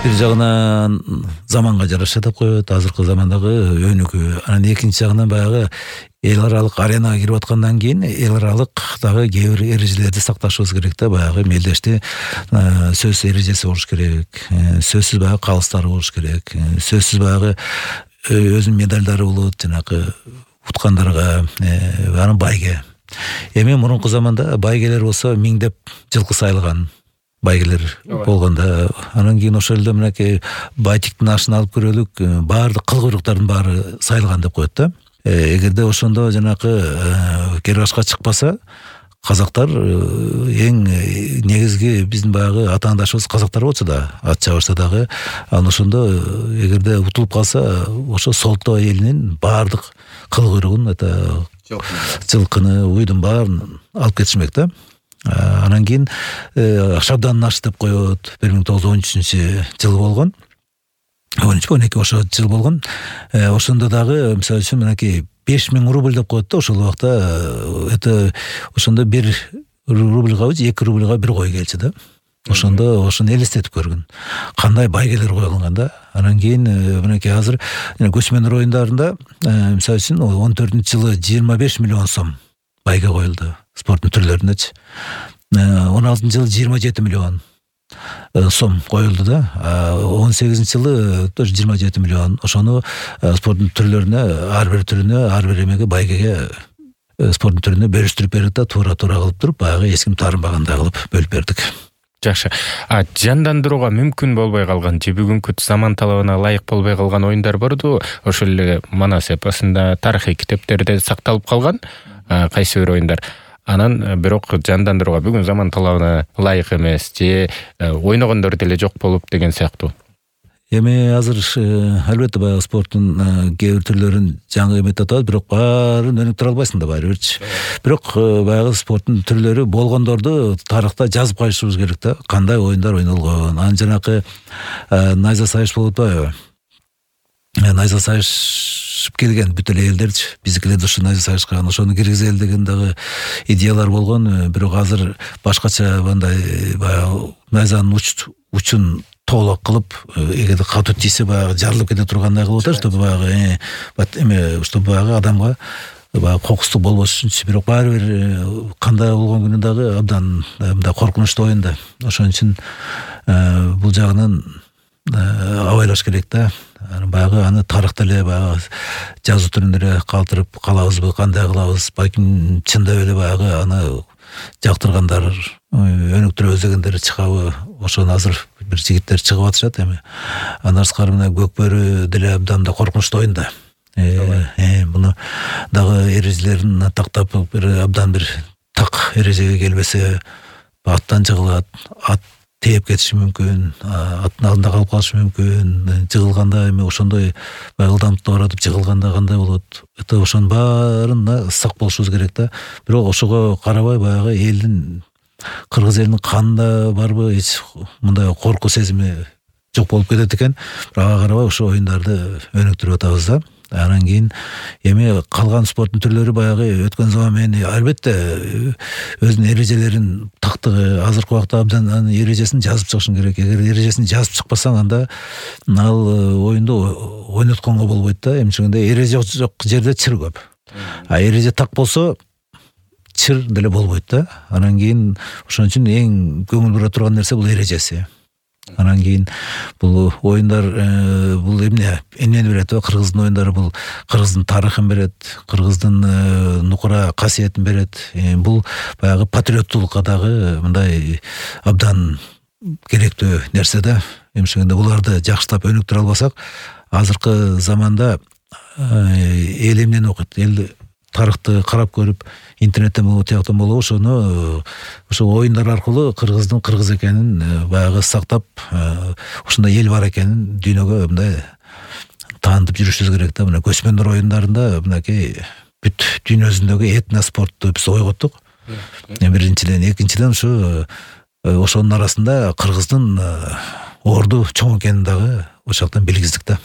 Бир жагынан заманга жараша деп коет, азыркы замандагы өнүгүү. Анан экинчи жагынан баягы эл аралык аренага кирип аткандан кийин эл аралык дагы кээ бир эрежелерди сакташыбыз керек да. Баягы мелдеште сөз эрежеси болуш керек. Сөзсүз баягы калыстары болуш керек. Сөзсүз баягы өзүнүн медалдары болот, жанагы уткандарга, анан байге. Эми мурунку заманда байгелер болсо миңдеп жылкы сайлаган байгелер болгондо, анан кийин ошол элде мынакей байтиктин ашын алып көрөлүк, баардык кыл куйруктардын баары сайылган деп коет да. Эгерде ошондо жанакы кер башка чыкпаса, казактар эң негизги биздин баягы атаандашыбыз казактар болчу да, ат чабышса дагы. Анан ошондо эгерде утулуп калса, ошо Солто элинин баардык кыл куйругун, жылкыны, уйдун баарын алып кетишмек да. Анан кийин Шабдандын ашы деп коет, 1913-жылы болгон. 13-12 ошо жыл болгон. Ошондо дагы мисалы үчүн мынакей 5000 рубль деп коет да. Ошол убакта ошондо 1 рубльга, 2 рубльга бир кой келчү да. Ошондо ошону элестетип көргүн. Кандай байгелер коюлган да. Анан кийин мынакей азыр көчмөндөр оюндарында мисалы үчүн 14-жылы 25 миллион сом байге коюлду. Спорттун түрлөрүнөчү. 16-жылы 27 миллион сом коюлду да. 18-жылы тоже 27 миллион. Ошону спорттун түрлөрүнө, ар бир түрүнө, ар бир эмеге, байгеге спорттун түрүнө бөлүштүрүп бердик да, туура кылып туруп, баягы эч ким таарынбагандай кылып бөлүп бердик. Жакшы. Жандандырууга мүмкүн болбой калган же бүгүнкү заман талабына ылайык болбой калган оюндар борду. Ошол эле Манас эпосунда, тарыхый китептерде сакталып калган кайсы бир оюндар. Анан бирок жандандырууга бүгүн заман талабына ылайык эмес же ойногондор деле жок болуп деген сыяктуу. Эми азыр албетте баягы спорттун кээ бир түрлөрүн жаңы эмет атабыз, бирок баарын өнүктүрө албайсың да баары бирчи. Бирок баягы спорттун түрлөрү болгондорду тарыхта жазып калышыбыз керек да. Кандай оюндар ойнолгон. Анан жанакы найза сайыш болуп атпайбы? Найза сайышып келген бүт эле элдерчи, биздикилер да ошо найза сайышкан, ошону киргизели деген дагы идеялар болгон. Бирок азыр башкача мындай баягы найзанын учун тоолок кылып, эгерде катуу тийсе баягы жарылып кете тургандай кылып атат, чтобы баягы чтобы баягы адамга баягы кокустук болбош үчүнчү. Бирок баары бир кандай болгон күнү дагы абдан мындай коркунучтуу оюн да. Ошон үчүн бул жагынан абайлаш керек да. Баягы аны тарыхта эле баягы жазуу түрүндө эле калтырып калабызбы, кандай кылабыз? Балким чындап эле баягы аны жактыргандар, өнүктүрөбүз дегендер чыгабы? Ошону азыр бир жигиттер чыгып атышат эми. Андан сырткары мына Көкбөрү деле абдан да коркунучтуу оюн да. Муну дагы эрежелерин тактап бир абдан бир так эрежеге келбесе аттан жыгылат, ат тээп кетиши мүмкүн, аттын алдында калып калышы мүмкүн. Жыгылганда эми ошондой ылдамдыкта баратып жыгылганда кандай болот? Ошонун баарына сак болушубуз керек да. Бирок ошого карабай баягы элдин, кыргыз элинин канында барбы эч мындай коркуу сезими жок болуп кетет экен. Бирок ага карабай ошо оюндарды өнүктүрүп атабыз да. Анан кийин эми калган спорттун түрлөрү баягы өткөн заман менен албетте өзүнүн эрежелерин тактыгы, азыркы убакта абдан анын эрежесин жазып чыгышың керек. Эгер эрежесин жазып чыкпасаң, анда ал оюнду ойнотконго болбойт да. Эмчегенде эреже жок жерде чыр көп. Эреже так болсо чыр деле болбойт да. Анан кийин ошон үчүн эң көңүл бура турган нерсе бул эрежеси. Анан кийин бул оюндар бул эмнени берет? Кыргыздын оюндары бул кыргыздын тарыхын берет, кыргыздын нукура касиетин берет. Бул баягы патриоттуулукка дагы мындай абдан керектүү нерсе да. Эмшегенде буларды жакшылап өнүктүрө албасак, азыркы заманда эл эмнени окуйт? Эл тарыхты карап көрүп, интернеттен болобу, тияктан болобу, ошо оюндар аркылуу кыргыздын кыргыз экенин баягы сактап, ошондой эл бар экенин дүйнөгө мындай таанытып жүрүшүбүз керек да. Мына көчмөндөр оюндарында мынакей бүт дүйнө жүзүндөгү этноспортту биз ойготтук. Биринчиден, экинчиден ошонун арасында кыргыздын орду чоң экенин дагы ошол жактан билгиздик да.